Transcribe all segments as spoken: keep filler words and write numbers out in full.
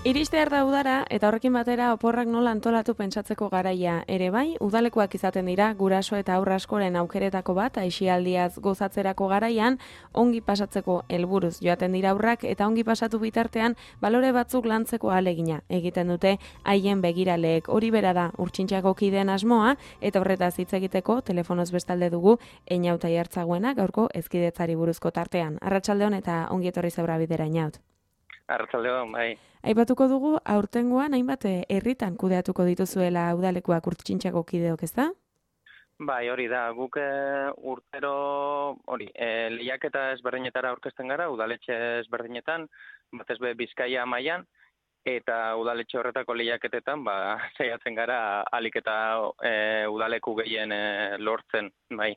Iristear da udara eta horrekin batera oporrak nola antolatu pentsatzeko garaia ere bai, udalekuak izaten dira guraso eta aurra askoren aukeretako bat aisialdiaz gozatzerako garaian, ongi pasatzeko helburuz joaten dira aurrak eta ongi pasatu bitartean balore batzuk lantzeko ahalegina egiten dute haien begiraleek. Hori bera da Urtsintxako kideen asmoa eta horretaz hitz egiteko telefonoz bestalde dugu Eñauta Jartzaguena gaurko hezkidetzari buruzko tartean. Arratsaldeon eta ongi etorri zaura bidera Eñaut. Arratsaldeon, bai. Aipatuko dugu aurtengoan hainbat herritan kudeatuko dituzuela udalekuak Urtsintxako kideok, ezta? Bai, hori da. Guk e, urtero hori, e, lehiaketa ezberdinetara aurkezten gara, udaletxe ezberdinetan, batez be Bizkaia mailan eta udaletxe horretako lehiaketetan, ba saiatzen gara ahalik eta e, udaleku gehien e, lortzen, bai.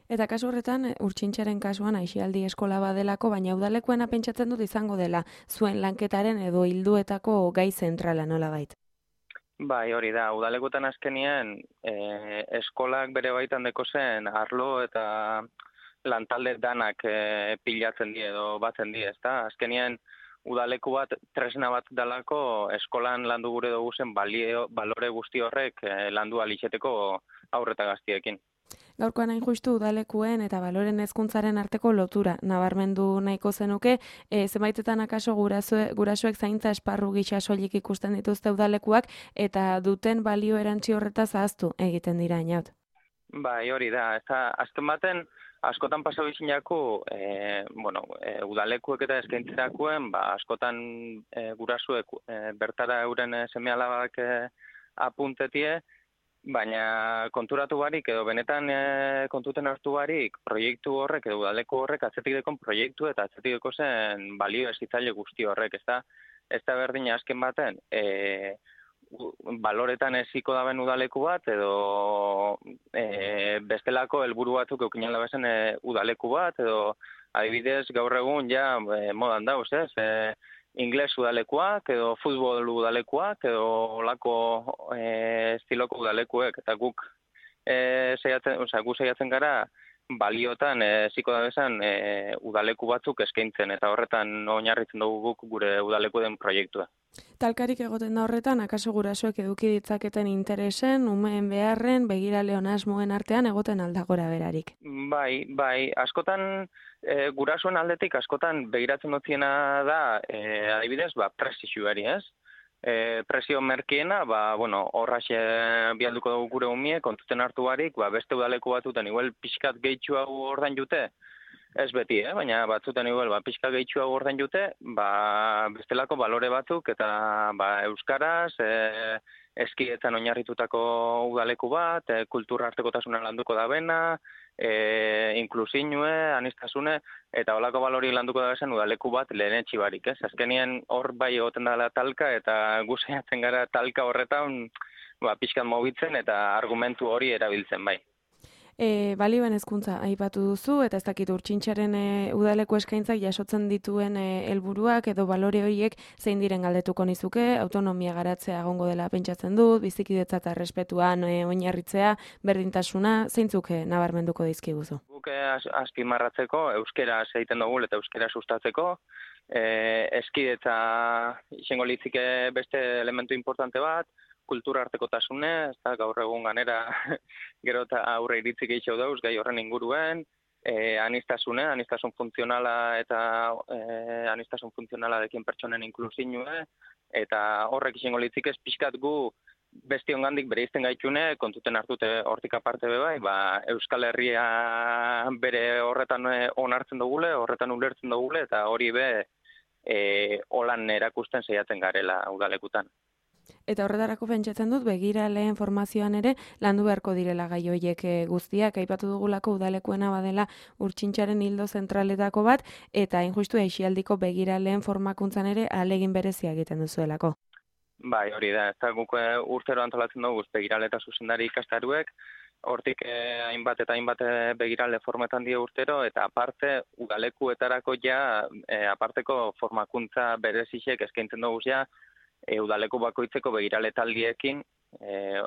Eta kasu horretan, Urtsintxaren kasuan aisialdi eskola badelako, baina udalekuena pentsatzen dut izango dela zuen lanketaren edo hilduetako gai zentrala nolabait. Bai, hori da. Udalekutan azkenien e, eskolak bere baitan deko zen arlo eta lantalde danak e, pilatzen die edo batzen die, ezta? Azkenien udaleku bat tresna bat dalako eskolan landu gure dugu zen balio, balore guzti horrek e, landu alitzeteko aurreta gaztiekin. Gaurkoan hain justu udalekuen eta baloren hezkuntzaren arteko lotura nabarmendu nahiko zenuke, e, zenbaitetan akaso gurasue, gurasoek zaintza esparru gisa soilik ikusten dituzte udalekuak eta duten balio erantzi horretaz ahaztu egiten dira Eñaut. Bai, hori da. Eta azken baten askotan pasau izinako, e, bueno, e, udalekuek eta eskaintzerakoen, ba, askotan e, gurasuek e, bertara euren seme-alabak e, apuntetie, baina konturatu barik edo benetan e, kontuten hartu barik proiektu horrek edo udaleku horrek atzetik dekon proiektu eta atzetik deko zen balio ezitzaile guzti horrek, ez da, ez da berdin azken baten, e, baloretan eziko daben udaleku bat edo e, bestelako helburu batzuk eukinan dabezen e, udaleku bat edo adibidez gaur egun ja e, modan dauz, ez? E, ingles udalekuak edo futbol udalekuak edo olako e, estiloko udalekuek eta guk e, saiatzen, osea, gu saiatzen gara baliotan eziko e, dabezan e, udaleku batzuk eskaintzen eta horretan oinarritzen dugu guk gure udaleku den proiektua. Talkarik egoten da horretan, akaso gurasoek eduki ditzaketen interesen, umeen beharren, begirale asmoen artean egoten aldagora berarik. Bai, bai, askotan e, gurasoen aldetik askotan begiratzen dutziena da, e, adibidez, ba, presixuari, ez? E, presio merkiena, ba, bueno, horraxe bialduko dugu gure umie, kontuten hartu barik, ba, beste udaleku batuten, igual pixkat gehitxua ordain jute, ez beti, eh? Baina batzuten igual, ba, pixka gehitxua ordain jute, ba, bestelako balore batzuk eta ba, euskaraz, e, eskietan oinarritutako udaleku bat, e, kultura artekotasuna landuko da bena, e, inklusinue, anistasune, eta holako balori landuko da bezen udaleku bat lehen etxibarik, ez? Azkenien hor bai egoten dela talka eta guztiatzen gara talka horretan ba, pixkan mobitzen eta argumentu hori erabiltzen bai. E, balioen hezkuntza aipatu duzu eta ez dakit Urtsintxaren e, udaleko eskaintzak jasotzen dituen e, helburuak edo balore horiek zein diren galdetuko nizuke, autonomia garatzea egongo dela pentsatzen dut, bizikidetza eta errespetuan e, oinarritzea, berdintasuna, zeintzuk e, nabarmenduko dizkiguzu? Guk azpimarratzeko euskera egiten dugu eta euskera sustatzeko, e, eskidetza izango litzike beste elementu importante bat, kultura artekotasune, ez da, gaur egun ganera gero eta aurre iritzik gehiago dauz, gai horren inguruen, e, anistasune, anistasun funtzionala eta e, anistasun funtzionala dekin pertsonen inklusinue, eta horrek izango litzik ez pixkat gu besti ongandik bere izten gaitxune, kontuten hartute hortik aparte be bai, ba, Euskal Herria bere horretan onartzen dugule, horretan ulertzen dugule, eta hori be e, holan erakusten saiatzen garela udalekutan. Eta horretarako pentsatzen dut, begiraleen formazioan ere landu beharko direla gai horiek guztiak, aipatu dugulako udalekuena badela Urtsintxaren hildo zentraletako bat, eta injustu aisialdiko begiraleen formakuntzan ere ahalegin berezia egiten duzuelako. Bai, hori da, ez da guk urtero antolatzen dugu begirale eta zuzendari ikastaruek, hortik eh, hainbat eta hainbat begirale formetan die urtero, eta aparte udalekuetarako ja, eh, aparteko formakuntza berezisek eskaintzen dugu ja, E, udaleku bakoitzeko begirale taldiekin e,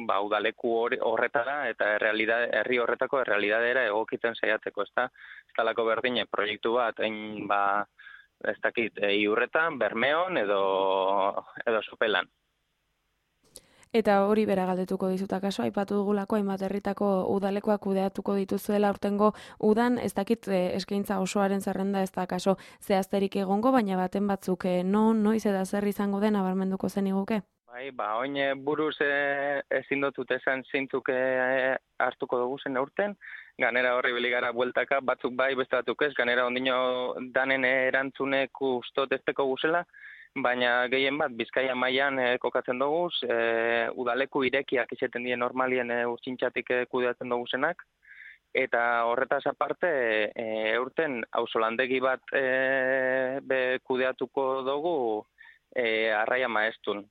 ba, udaleku horretara eta herri horretako errealidadera egokitzen saiatzeko, ez da? Ez talako berdine proiektu bat, hain ba, ez dakit, e, Iurretan, Bermeon edo, edo Sopelan. Eta hori bera galdetuko dizuta kaso, aipatu dugulako hainbat herritako udalekoak kudeatuko dituzuela aurtengo udan, ez dakit eh, eskaintza osoaren zerrenda ez da kaso zehazterik egongo, baina baten batzuk eh, non, noiz eta zer izango den abarmenduko zen iguke? Bai, ba, oin buruz e, ezin dotut esan zeintzuk e, hartuko dugu zen aurten, ganera horri beligara bueltaka, batzuk bai, beste batzuk ez, ganera ondino danen erantzunek ustot ezteko guzela, baina gehien bat Bizkaia mailan e, kokatzen dugu, e, udaleku irekiak izaten die normalien e, urtsintxatik e, kudeatzen dugu zenak, eta horretaz aparte e, eurten auzolandegi bat e, be kudeatuko dugu e, Arraia Maeztun.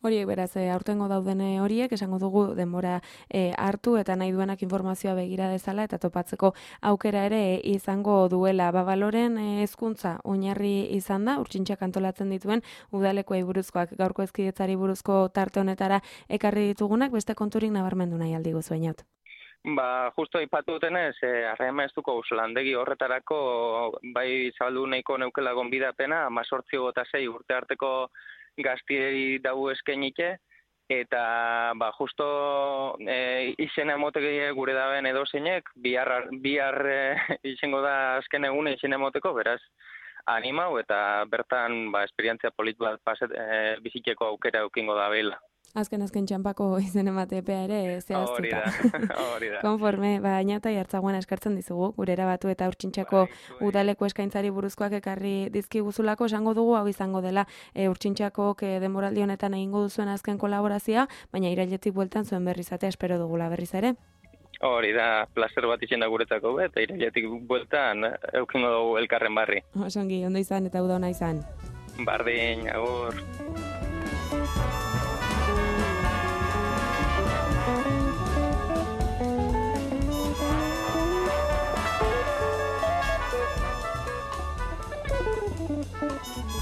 Horiek beraz, e, aurtengo dauden horiek, esango dugu denbora e, hartu eta nahi duenak informazioa begira dezala eta topatzeko aukera ere e, izango duela. Babaloren e, hezkuntza oinarri izan da, urtsintxak antolatzen dituen udalekoei buruzkoak gaurko hezkidetzari buruzko tarte honetara ekarri ditugunak, beste konturik nabarmendu nahi aldi guzu Eñaut. Ba, justo aipatu dutenez, e, Arraia Maeztuko auzolandegi horretarako bai zabaldu nahiko neukela gonbidapena, hemezortzi eta sei urte arteko gaztieri dau eskainike, eta ba, justo e, izena emoteke gure daben edo zeinek, bihar, bihar e, izango da azken egune izena emoteko, beraz, animau eta bertan ba, esperientzia polit bat paset, e, biziteko aukera eukingo da behila. Azken azken txampako izen ematepea ere zehaztuta. Hori da, hori da. Konforme, ba, Eñauta Jartzaguan eskartzen dizugu, gure erabatu eta urtsintxako bai, udaleko eskaintzari buruzkoak ekarri dizkiguzulako, esango dugu hau izango dela e, urtsintxako e, denboraldi honetan egingo duzuen azken kolaborazioa, baina irailetik bueltan zuen berriz atea espero dugula berriz ere. Hori da, placer bat izan da guretzako, eta irailetik bueltan eukingo dugu elkarren barri. Osongi, ondo izan eta uda ona izan. Bardin, agur. Thank you.